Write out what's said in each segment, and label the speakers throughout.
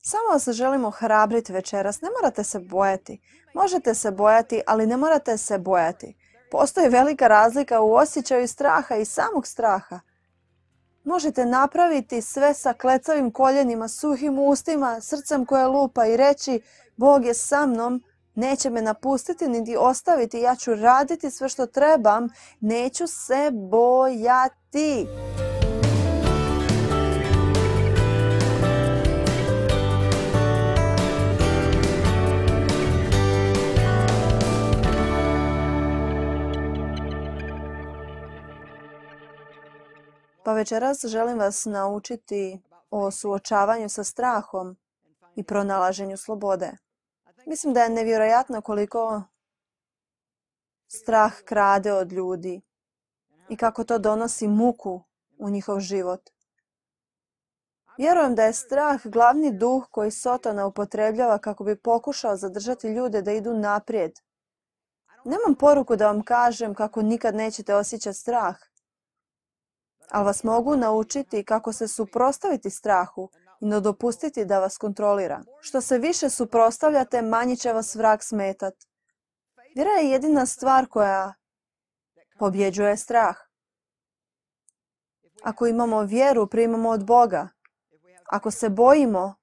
Speaker 1: Samo vas želimo ohrabriti večeras. Ne morate se bojati. Možete se bojati, ali ne morate se bojati. Postoji velika razlika u osjećaju straha i samog straha. Možete napraviti sve sa klecavim koljenima, suhim ustima, srcem koje lupa i reći Bog je sa mnom, neće me napustiti niti ostaviti, ja ću raditi sve što trebam, neću se bojati. Pa večeras želim vas naučiti o suočavanju sa strahom i pronalaženju slobode. Mislim da je nevjerojatno koliko strah krade od ljudi i kako to donosi muku u njihov život. Vjerujem da je strah glavni duh koji Sotona upotrebljava kako bi pokušao zadržati ljude da idu naprijed. Nemam poruku da vam kažem kako nikad nećete osjećati strah, ali vas mogu naučiti kako se suprotstaviti strahu i ne dopustiti da vas kontrolira. Što se više suprotstavljate, manje će vas vrag smetati. Vjera je jedina stvar koja pobjeđuje strah. Ako imamo vjeru, primamo od Boga. Ako se bojimo,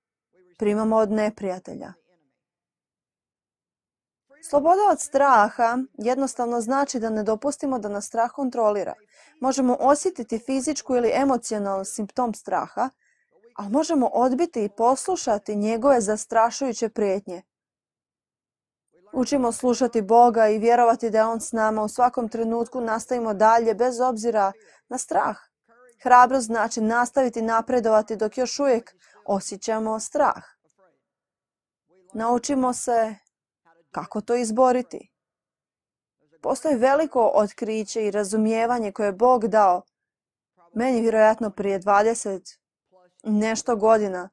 Speaker 1: primamo od neprijatelja. Sloboda od straha jednostavno znači da ne dopustimo da nas strah kontrolira. Možemo osjetiti fizičku ili emocionalni simptom straha, ali možemo odbiti i poslušati njegove zastrašujuće prijetnje. Učimo slušati Boga i vjerovati da je On s nama. U svakom trenutku nastavimo dalje bez obzira na strah. Hrabrost znači nastaviti napredovati dok još uvijek osjećamo strah. Naučimo se kako to izboriti. Postoji veliko otkriće i razumijevanje koje je Bog dao meni vjerojatno prije 20 nešto godina.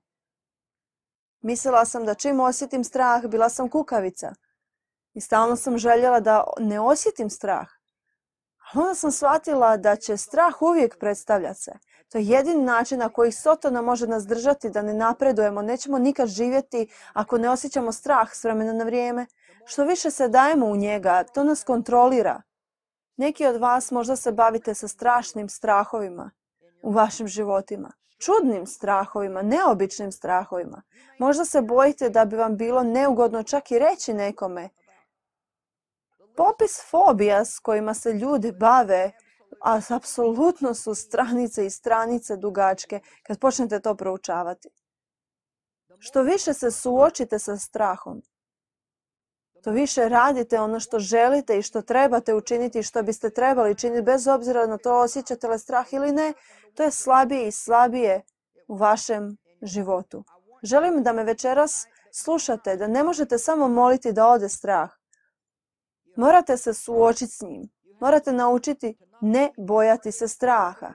Speaker 1: Mislila sam da čim osjetim strah, bila sam kukavica. I stalno sam željela da ne osjetim strah. Ali onda sam shvatila da će strah uvijek predstavljati se. To je jedini način na koji Sotona može nas držati da ne napredujemo. Nećemo nikad živjeti ako ne osjećamo strah s vremena na vrijeme. Što više se dajemo u njega, to nas kontrolira. Neki od vas možda se bavite sa strašnim strahovima u vašim životima. Čudnim strahovima, neobičnim strahovima. Možda se bojite da bi vam bilo neugodno čak i reći nekome. Popis fobija s kojima se ljudi bave, a apsolutno su stranice i stranice dugačke kad počnete to proučavati. Što više se suočite sa strahom, to više radite ono što želite i što trebate učiniti i što biste trebali činiti, bez obzira na to osjećate li strah ili ne, to je slabije i slabije u vašem životu. Želim da me večeras slušate, da ne možete samo moliti da ode strah. Morate se suočiti s njim. Morate naučiti ne bojati se straha.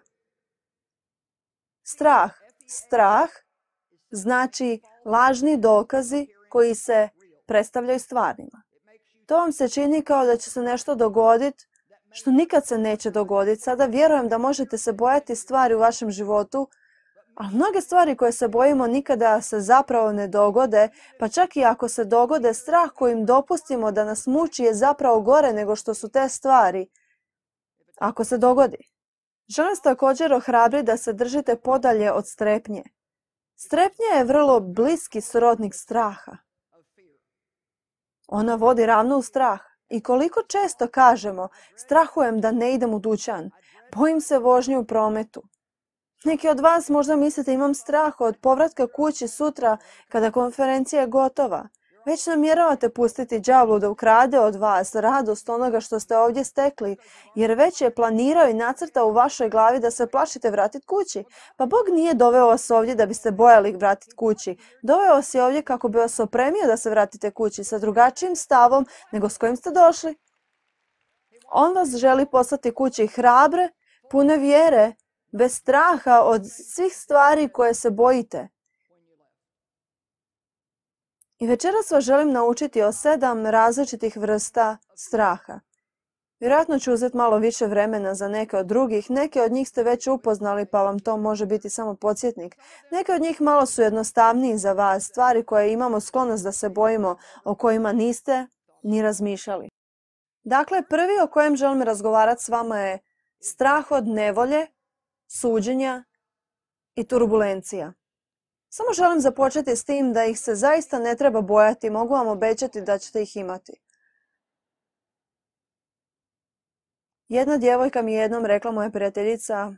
Speaker 1: Strah znači lažni dokazi koji se predstavljaju stvarnima. To vam se čini kao da će se nešto dogoditi što nikad se neće dogoditi. Sada vjerujem da možete se bojati stvari u vašem životu, a mnoge stvari koje se bojimo nikada se zapravo ne dogode, pa čak i ako se dogode, strah kojim dopustimo da nas muči je zapravo gore nego što su te stvari. Ako se dogodi. Želim vas također ohrabriti da se držite podalje od strepnje. Strepnja je vrlo bliski srodnik straha. Ona vodi ravno u strah. I koliko često kažemo, strahujem da ne idem u dućan, bojim se vožnje u prometu. Neki od vas možda mislite imam strah od povratka kući sutra kada konferencija je gotova. Već namjeravate pustiti đavlu da ukrade od vas radost onoga što ste ovdje stekli, jer već je planirao i nacrtao u vašoj glavi da se plašite vratiti kući. Pa Bog nije doveo vas ovdje da biste bojali vratiti kući. Doveo vas je ovdje kako bi vas opremio da se vratite kući sa drugačijim stavom nego s kojim ste došli. On vas želi poslati kući hrabre, pune vjere, bez straha od svih stvari koje se bojite. I večeras vas želim naučiti o 7 različitih vrsta straha. Vjerojatno ću uzeti malo više vremena za neke od drugih. Neke od njih ste već upoznali pa vam to može biti samo podsjetnik. Neke od njih malo su jednostavniji za vas, stvari koje imamo sklonost da se bojimo, o kojima niste ni razmišljali. Dakle, prvi o kojem želim razgovarati s vama je strah od nevolje, suđenja i turbulencija. Samo želim započeti s tim da ih se zaista ne treba bojati, mogu vam obećati da ćete ih imati. Jedna djevojka mi je jednom rekla, moja prijateljica,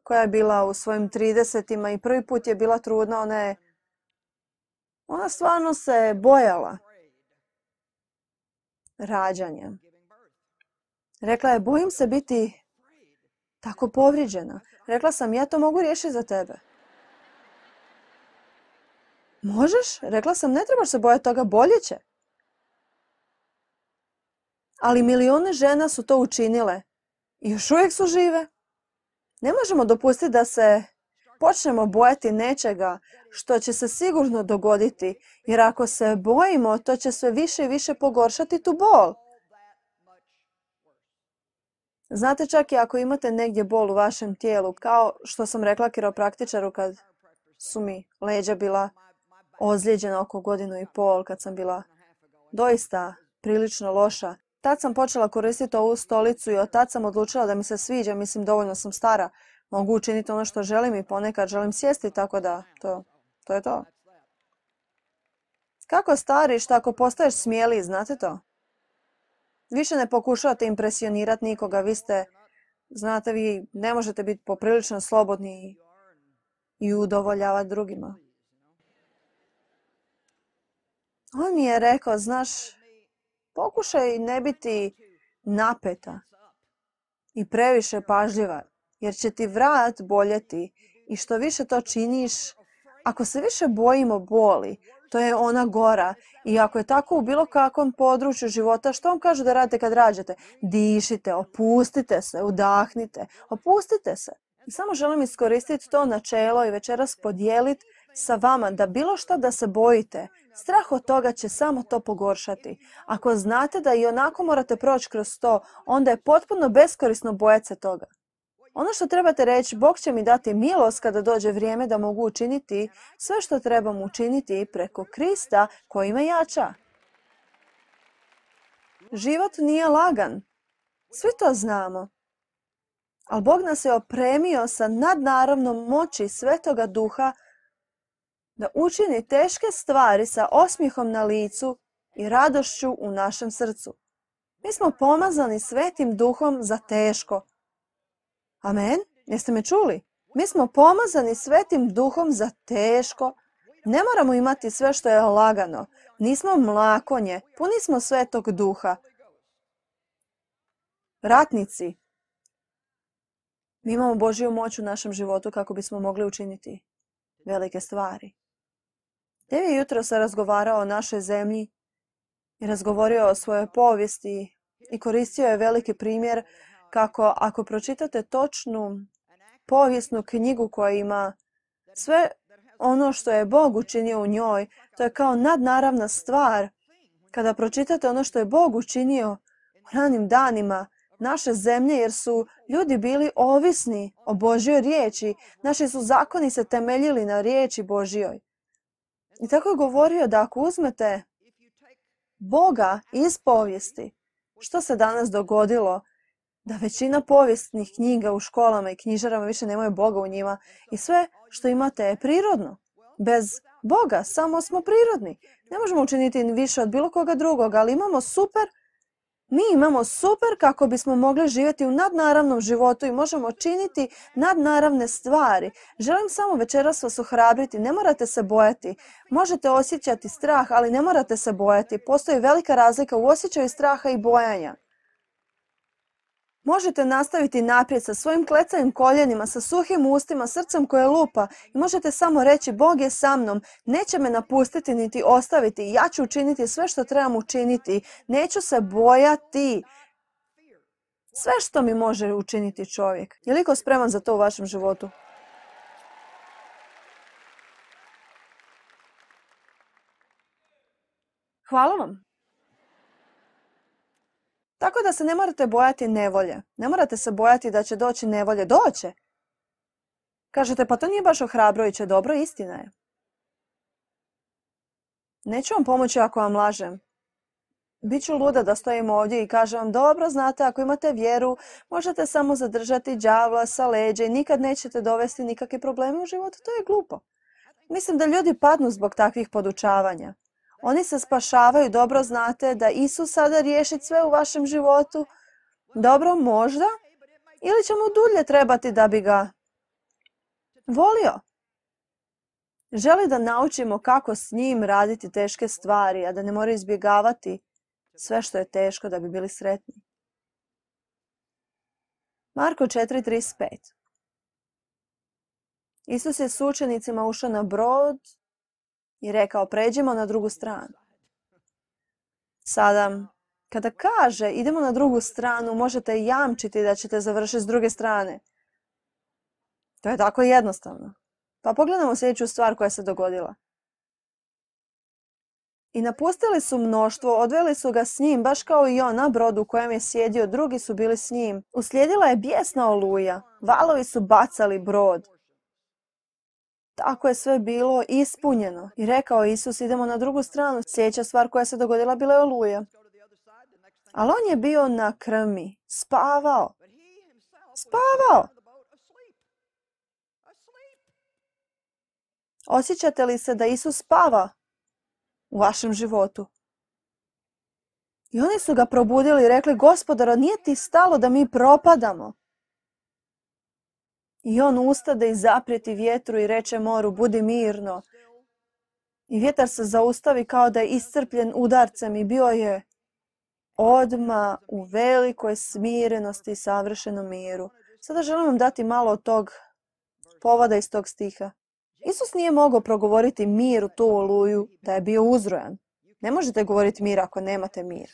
Speaker 1: koja je bila u svojim 30-ima i prvi put je bila trudna, ona stvarno se bojala rađanja. Rekla je, bojim se biti tako povrijeđena. Rekla sam, ja to mogu riješiti za tebe. Možeš? Rekla sam, ne trebaš se bojati toga, bolje će. Ali milijune žena su to učinile i još uvijek su žive. Ne možemo dopustiti da se počnemo bojati nečega što će se sigurno dogoditi, jer ako se bojimo, to će sve više i više pogoršati tu bol. Znate, čak i ako imate negdje bol u vašem tijelu, kao što sam rekla kiropraktičaru kad su mi leđa bila ozlijeđena oko 1,5 godine, kad sam bila doista prilično loša. Tad sam počela koristiti ovu stolicu i od tad sam odlučila da mi se sviđa, mislim dovoljno sam stara. Mogu učiniti ono što želim i ponekad želim sjesti, tako da to je to. Kako stariš, tako postaješ smijeliji, znate to? Više ne pokušavate impresionirati nikoga, vi ne možete biti poprilično slobodni i udovoljavati drugima. On mi je rekao, znaš, pokušaj ne biti napeta i previše pažljiva, jer će ti vrat boljeti i što više to činiš, ako se više bojimo boli, to je ona gora. I ako je tako u bilo kakvom području života, što vam kažu da radite kad rađate? Dišite, opustite se, udahnite, opustite se. I samo želim iskoristiti to načelo i večeras podijeliti sa vama da bilo što da se bojite, strah od toga će samo to pogoršati. Ako znate da i onako morate proći kroz to, onda je potpuno beskorisno bojati se toga. Ono što trebate reći, Bog će mi dati milost kada dođe vrijeme da mogu učiniti sve što trebam učiniti preko Krista koji me jača. Život nije lagan. Svi to znamo. Ali Bog nas je opremio sa nadnaravnom moći Svetoga Duha da učini teške stvari sa osmijehom na licu i radošću u našem srcu. Mi smo pomazani Svetim Duhom za teško. Amen? Jeste me čuli? Mi smo pomazani Svetim Duhom za teško. Ne moramo imati sve što je lagano. Nismo mlakonje, puni smo Svetog Duha. Ratnici. Mi imamo Božju moć u našem životu kako bismo mogli učiniti velike stvari. Dev je jutro se razgovarao o našoj zemlji i razgovorio o svojoj povijesti i koristio je veliki primjer kako ako pročitate točnu povijesnu knjigu koja ima sve ono što je Bog učinio u njoj, to je kao nadnaravna stvar. Kada pročitate ono što je Bog učinio u ranim danima naše zemlje, jer su ljudi bili ovisni o Božjoj riječi, naši su zakoni se temeljili na riječi Božjoj. I tako je govorio da ako uzmete Boga iz povijesti, što se danas dogodilo, da većina povijesnih knjiga u školama i knjižarama više nemaju Boga u njima i sve što imate je prirodno. Bez Boga samo smo prirodni. Ne možemo učiniti više od bilo koga drugog, ali mi imamo super kako bismo mogli živjeti u nadnaravnom životu i možemo činiti nadnaravne stvari. Želim samo večeras vas ohrabriti, ne morate se bojati. Možete osjećati strah, ali ne morate se bojati. Postoji velika razlika u osjećaju straha i bojanja. Možete nastaviti naprijed sa svojim klecavim koljenima, sa suhim ustima, srcem koje lupa i možete samo reći Bog je sa mnom, neće me napustiti niti ostaviti, ja ću učiniti sve što trebam učiniti, neću se bojati. Sve što mi može učiniti čovjek. Je li ko spreman za to u vašem životu? Hvala vam. Tako da se ne morate bojati nevolje. Ne morate se bojati da će doći nevolje. Doće. Kažete, pa to nije baš ohrabrujuće. Dobro, istina je. Neću vam pomoći ako vam lažem. Biću luda da stojim ovdje i kažem vam, dobro, znate, ako imate vjeru, možete samo zadržati đavla sa leđa i nikad nećete dovesti nikakve probleme u životu. To je glupo. Mislim da ljudi padnu zbog takvih podučavanja. Oni se spašavaju, dobro znate da Isus sada riješi sve u vašem životu. Dobro, možda. Ili će mu dulje trebati da bi ga volio. Želi da naučimo kako s njim raditi teške stvari, a da ne moraju izbjegavati sve što je teško da bi bili sretni. Marko 4:35. Isus je s učenicima ušao na brod i rekao, pređimo na drugu stranu. Sada, kada kaže idemo na drugu stranu, možete jamčiti da ćete završiti s druge strane. To je tako jednostavno. Pa pogledamo sljedeću stvar koja se dogodila. I napustili su mnoštvo, odveli su ga s njim, baš kao i on na brodu u kojem je sjedio, drugi su bili s njim. Uslijedila je bijesna oluja, valovi su bacali brod. Tako je sve bilo ispunjeno. I rekao Isus, idemo na drugu stranu. Sljedeća stvar koja se dogodila bila je oluja. Ali on je bio na krmi, spavao. Spavao! Osjećate li se da Isus spava u vašem životu? I oni su ga probudili i rekli, Gospodaru, nije ti stalo da mi propadamo? I on ustade i zaprijeti vjetru i reče moru, budi mirno. I vjetar se zaustavi kao da je iscrpljen udarcem i bio je odmah u velikoj smirenosti i savršenom miru. Sada želim vam dati malo od tog povoda iz tog stiha. Isus nije mogao progovoriti mir u tu oluju da je bio uzrojan. Ne možete govoriti mir ako nemate mir.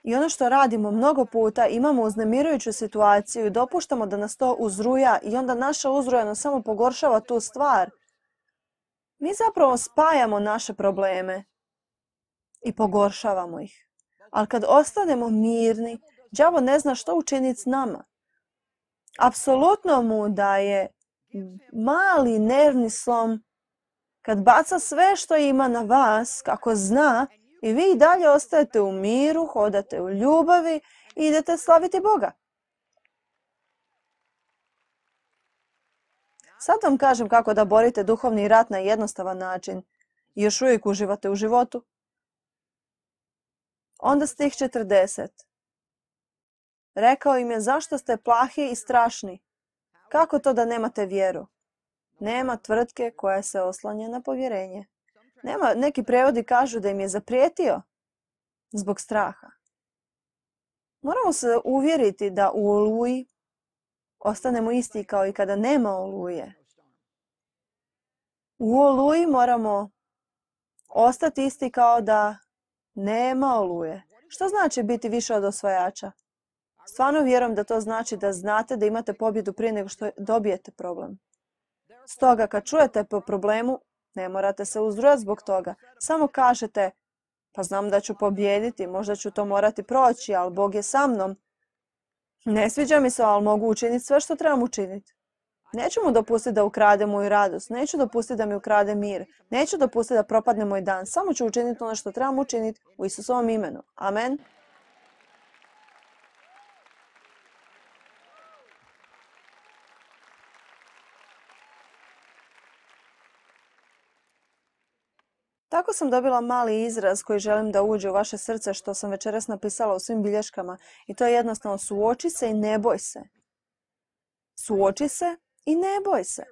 Speaker 1: I ono što radimo mnogo puta, imamo uznemirujuću situaciju i dopuštamo da nas to uzruja i onda naša uzrojanost samo pogoršava tu stvar. Mi zapravo spajamo naše probleme i pogoršavamo ih. Ali kad ostanemo mirni, đavo ne zna što učiniti s nama. Apsolutno mu daje mali nervni slom kad baca sve što ima na vas, kako zna, i vi i dalje ostajete u miru, hodate u ljubavi i idete slaviti Boga. Sad vam kažem kako da borite duhovni rat na jednostavan način i još uvijek uživate u životu. Onda stih 40. Rekao im je, zašto ste plahi i strašni? Kako to da nemate vjeru? Nema tvrtke koja se oslanja na povjerenje. Neki prevodi kažu da im je zaprijetio zbog straha. Moramo se uvjeriti da u oluji ostanemo isti kao i kada nema oluje. U oluji moramo ostati isti kao da nema oluje. Što znači biti više od osvajača? Stvarno vjerujem da to znači da znate da imate pobjedu prije nego što dobijete problem. Stoga kad čujete po problemu, ne morate se uzrujati zbog toga. Samo kažete, pa znam da ću pobijediti, možda ću to morati proći, ali Bog je sa mnom. Ne sviđa mi se, ali mogu učiniti sve što trebam učiniti. Neću mu dopustiti da ukrade moju radost, neću dopustiti da mi ukrade mir, neću dopustiti da propadne moj dan, samo ću učiniti ono što trebam učiniti u Isusovom imenu. Amen. Tako sam dobila mali izraz koji želim da uđe u vaše srce, što sam večeras napisala u svim bilješkama. I to je jednostavno suoči se i ne boj se. Suoči se i ne boj se.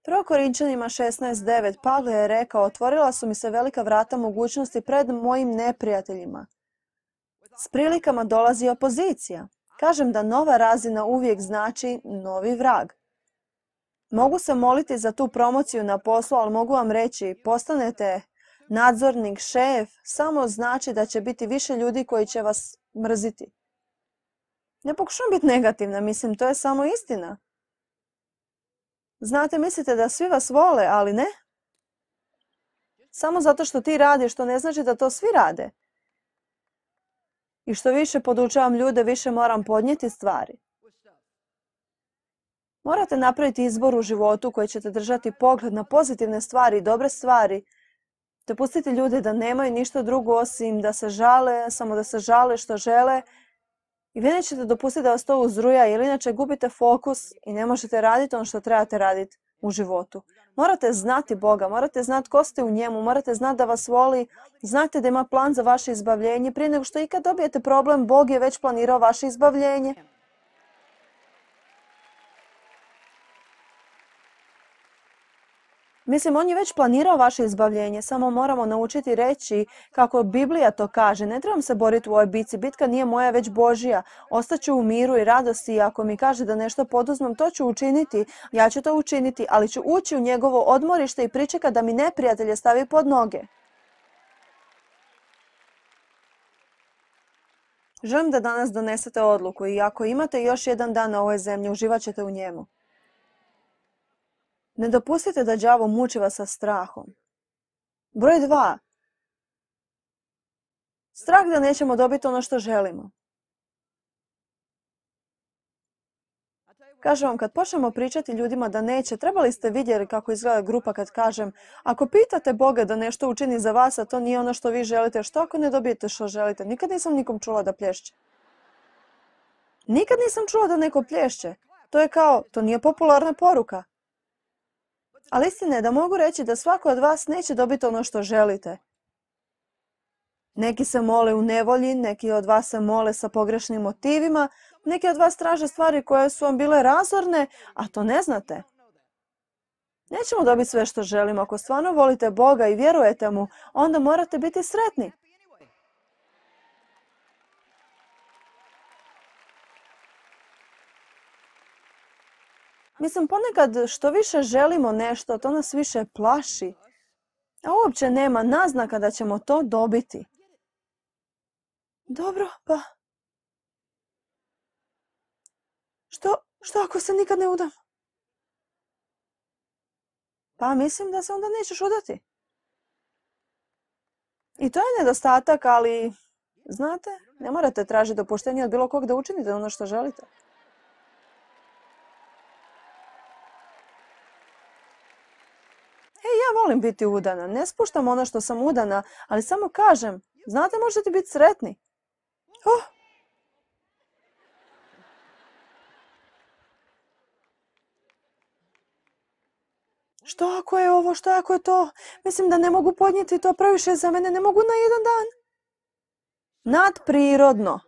Speaker 1: 1. Korinčanima 16:9 Pavle je rekao, otvorila su mi se velika vrata mogućnosti pred mojim neprijateljima. S prilikama dolazi opozicija. Kažem da nova razina uvijek znači novi vrag. Mogu se moliti za tu promociju na poslu, ali mogu vam reći, postanete nadzornik, šef, samo znači da će biti više ljudi koji će vas mrziti. Ne pokušam biti negativna, mislim, to je samo istina. Znate, mislite da svi vas vole, ali ne. Samo zato što ti radiš, to ne znači da to svi rade. I što više podučavam ljude, više moram podnijeti stvari. Morate napraviti izbor u životu koji ćete držati pogled na pozitivne stvari i dobre stvari. Te pustiti ljude da nemaju ništa drugo osim da se žale, samo da se žale što žele. I vi nećete dopustiti da vas to uzruja, jer inače gubite fokus i ne možete raditi ono što trebate raditi u životu. Morate znati Boga, morate znati ko ste u njemu, morate znati da vas voli, znate da ima plan za vaše izbavljenje. Prije nego što ikad dobijete problem, Bog je već planirao vaše izbavljenje. Mislim, on je već planirao vaše izbavljenje, samo moramo naučiti reći kako Biblija to kaže. Ne trebam se boriti u ovoj bitci, bitka nije moja, već Božja. Ostaću u miru i radosti i ako mi kaže da nešto poduzmem, to ću učiniti. Ja ću to učiniti, ali ću ući u njegovo odmorište i pričekati da mi neprijatelje stavi pod noge. Želim da danas donesete odluku i ako imate još jedan dan na ovoj zemlji, uživat ćete u njemu. Ne dopustite da đavo muči vas sa strahom. Broj 2. Strah da nećemo dobiti ono što želimo. Kažem vam, kad počnemo pričati ljudima da neće, trebali ste vidjeti kako izgleda grupa kad kažem, ako pitate Boga da nešto učini za vas, a to nije ono što vi želite, što ako ne dobijete što želite? Nikad nisam nikom čula da plješće. Nikad nisam čula da neko plješće. To je kao, to nije popularna poruka. Ali istina je da mogu reći da svako od vas neće dobiti ono što želite. Neki se mole u nevolji, neki od vas se mole sa pogrešnim motivima, neki od vas traže stvari koje su vam bile razorne, a to ne znate. Nećemo dobiti sve što želimo. Ako stvarno volite Boga i vjerujete mu, onda morate biti sretni. Mislim, ponekad što više želimo nešto, to nas više plaši. A uopće nema naznaka da ćemo to dobiti. Dobro, pa... Što ako se nikad ne udam? Pa mislim da se onda nećeš udati. I to je nedostatak, ali... Znate, ne morate tražiti dopuštenje od bilo kog da učinite ono što želite. Ja volim biti udana. Ne spuštam ono što sam udana, ali samo kažem, znate, možete biti sretni. Što ako je ovo, što ako je to? Mislim da ne mogu podnijeti to, previše za mene, ne mogu na jedan dan. Nadprirodno.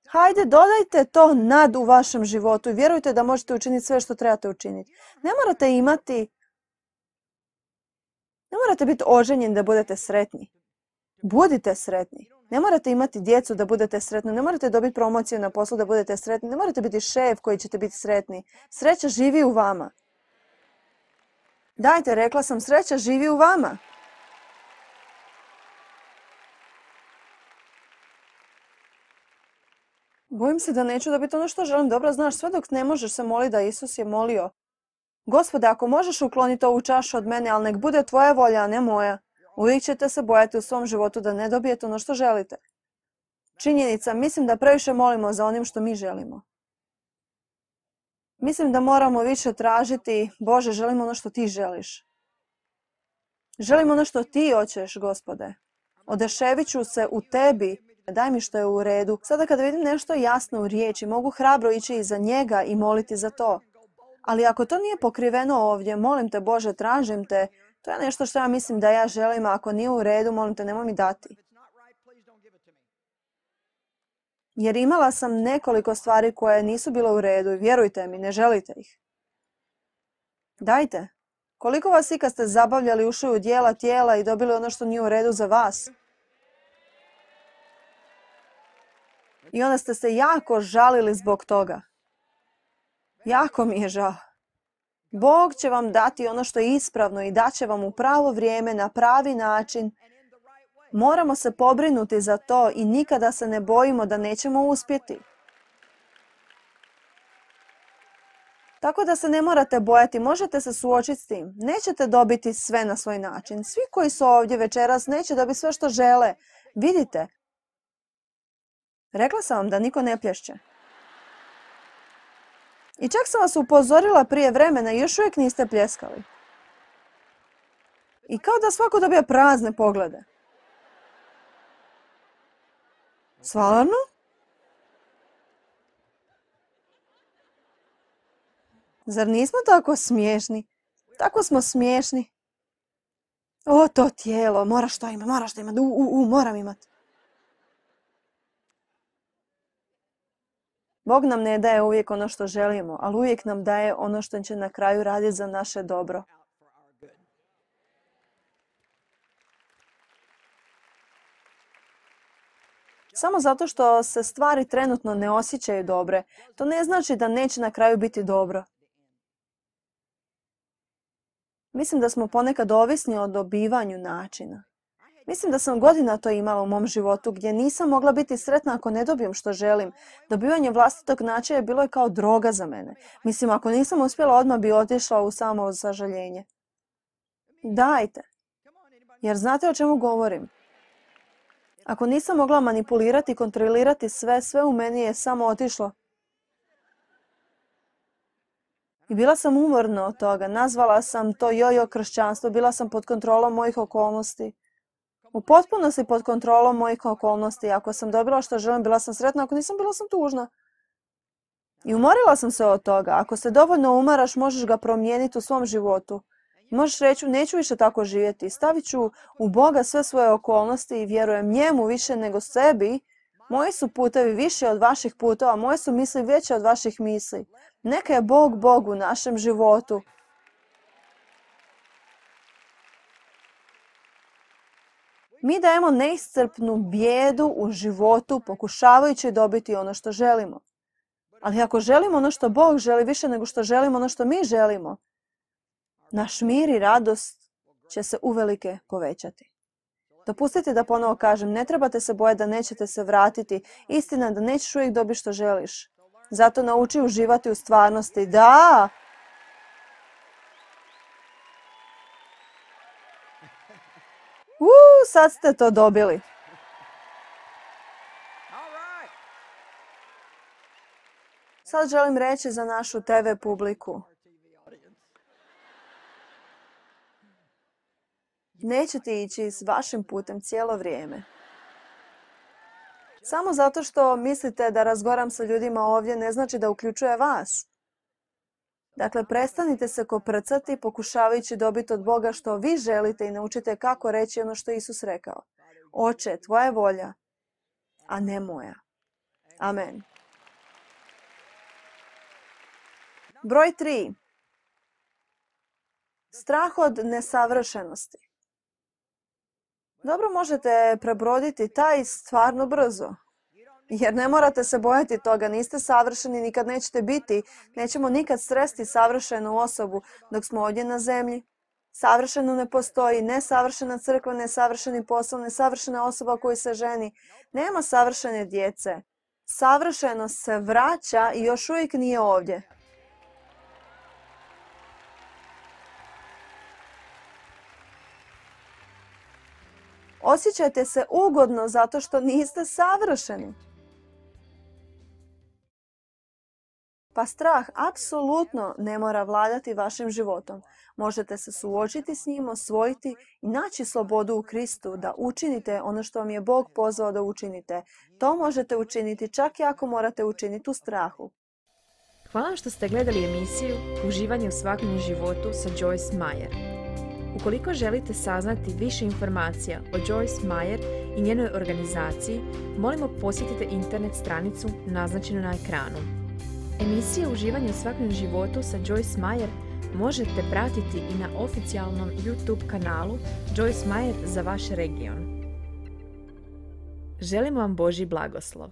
Speaker 1: Hajde, dodajte to nad u vašem životu i vjerujte da možete učiniti sve što trebate učiniti. Ne morate biti oženjeni da budete sretni. Budite sretni. Ne morate imati djecu da budete sretni. Ne morate dobiti promociju na poslu da budete sretni. Ne morate biti šef koji ćete biti sretni. Sreća živi u vama. Dajte, rekla sam, sreća živi u vama. Bojim se da neću dobiti ono što želim. Dobro, znaš, sve dok ne možeš se moliti da Isus je molio. Gospode, ako možeš ukloniti ovu čašu od mene, ali nek bude tvoja volja, a ne moja. Uvijek ćete se bojati u svom životu da ne dobijete ono što želite. Činjenica, mislim da previše molimo za onim što mi želimo. Mislim da moramo više tražiti, Bože, želim ono što ti želiš. Želim ono što ti hoćeš, Gospode. Odeševit ću se u tebi, daj mi što je u redu. Sada kada vidim nešto jasno u riječi, mogu hrabro ići iza njega i moliti za to. Ali ako to nije pokriveno ovdje, molim te, Bože, tražim te, to je nešto što ja mislim da ja želim, a ako nije u redu, molim te, nemoj mi dati. Jer imala sam nekoliko stvari koje nisu bile u redu i vjerujte mi, ne želite ih. Dajte. Koliko vas ikad ste zabavljali, ušli u dijela tijela i dobili ono što nije u redu za vas? I onda ste se jako žalili zbog toga. Jako mi je žao. Bog će vam dati ono što je ispravno i daće vam u pravo vrijeme, na pravi način. Moramo se pobrinuti za to i nikada se ne bojimo da nećemo uspjeti. Tako da se ne morate bojati, možete se suočiti s tim. Nećete dobiti sve na svoj način. Svi koji su ovdje večeras neće dobiti sve što žele. Vidite, Rekla sam vam da niko ne plješće. I čak sam vas upozorila prije vremena i još uvijek niste pljeskali. I kao da svako dobija prazne poglede. Stvarno? Zar nismo tako smiješni? Tako smo smiješni. O, to tijelo, moraš to imati, moram imati. Bog nam ne daje uvijek ono što želimo, ali uvijek nam daje ono što će na kraju raditi za naše dobro. Samo zato što se stvari trenutno ne osjećaju dobre, to ne znači da neće na kraju biti dobro. Mislim da smo ponekad ovisni o dobivanju načina. Mislim da sam godina to imala u mom životu gdje nisam mogla biti sretna ako ne dobijem što želim. Dobivanje vlastitog načina bilo je kao droga za mene. Mislim, ako nisam uspjela, odmah bi otišla u samo sažaljenje. Dajte. Jer znate o čemu govorim? Ako nisam mogla manipulirati i kontrolirati sve u meni je samo otišlo. I bila sam umorna od toga. Nazvala sam to jojo kršćanstvo. Bila sam pod kontrolom mojih okolnosti. U potpunosti pod kontrolom mojih okolnosti. Ako sam dobila što želim, bila sam sretna. Ako nisam, bila sam tužna. I umorila sam se od toga. Ako se dovoljno umaraš, možeš ga promijeniti u svom životu. Možeš reći, neću više tako živjeti. Stavit ću u Boga sve svoje okolnosti i vjerujem njemu više nego sebi. Moji su putevi više od vaših putova, moje su misli veće od vaših misli. Neka je Bog u našem životu. Mi dajemo neiscrpnu bijedu u životu pokušavajući dobiti ono što želimo. Ali ako želimo ono što Bog želi više nego što želimo ono što mi želimo, naš mir i radost će se uvelike povećati. Dopustite da ponovo kažem, ne trebate se bojati da nećete se vratiti. Istina je da nećeš uvijek dobiti što želiš. Zato nauči uživati u stvarnosti. Da! Sad ste to dobili. Sad želim reći za našu TV publiku. Nećete ići s vašim putem cijelo vrijeme. Samo zato što mislite da razgovaram sa ljudima ovdje ne znači da uključuje vas. Dakle, prestanite se koprcati pokušavajući dobiti od Boga što vi želite i naučite kako reći ono što Isus rekao. Oče, tvoja je volja, a ne moja. Amen. Broj 3. Strah od nesavršenosti. Dobro, možete prebroditi taj stvarno brzo. Jer ne morate se bojati toga, niste savršeni, nikad nećete biti. Nećemo nikad sresti savršenu osobu dok smo ovdje na zemlji. Savršeno ne postoji, nesavršena crkva, nesavršeni posao, nesavršena osoba koji se ženi. Nema savršene djece. Savršenost se vraća i još uvijek nije ovdje. Osjećajte se ugodno zato što niste savršeni. Pa strah apsolutno ne mora vladati vašim životom. Možete se suočiti s njim, osvojiti i naći slobodu u Kristu da učinite ono što vam je Bog pozvao da učinite. To možete učiniti čak i ako morate učiniti u strahu.
Speaker 2: Hvala vam što ste gledali emisiju Uživanje u svakodnevnom životu sa Joyce Meyer. Ukoliko želite saznati više informacija o Joyce Meyer i njenoj organizaciji, molimo posjetite internet stranicu naznačenu na ekranu. Emisije Uživanje u svakodnevnom životu sa Joyce Meyer možete pratiti i na oficijalnom YouTube kanalu Joyce Meyer za vaš region. Želimo vam Božji blagoslov.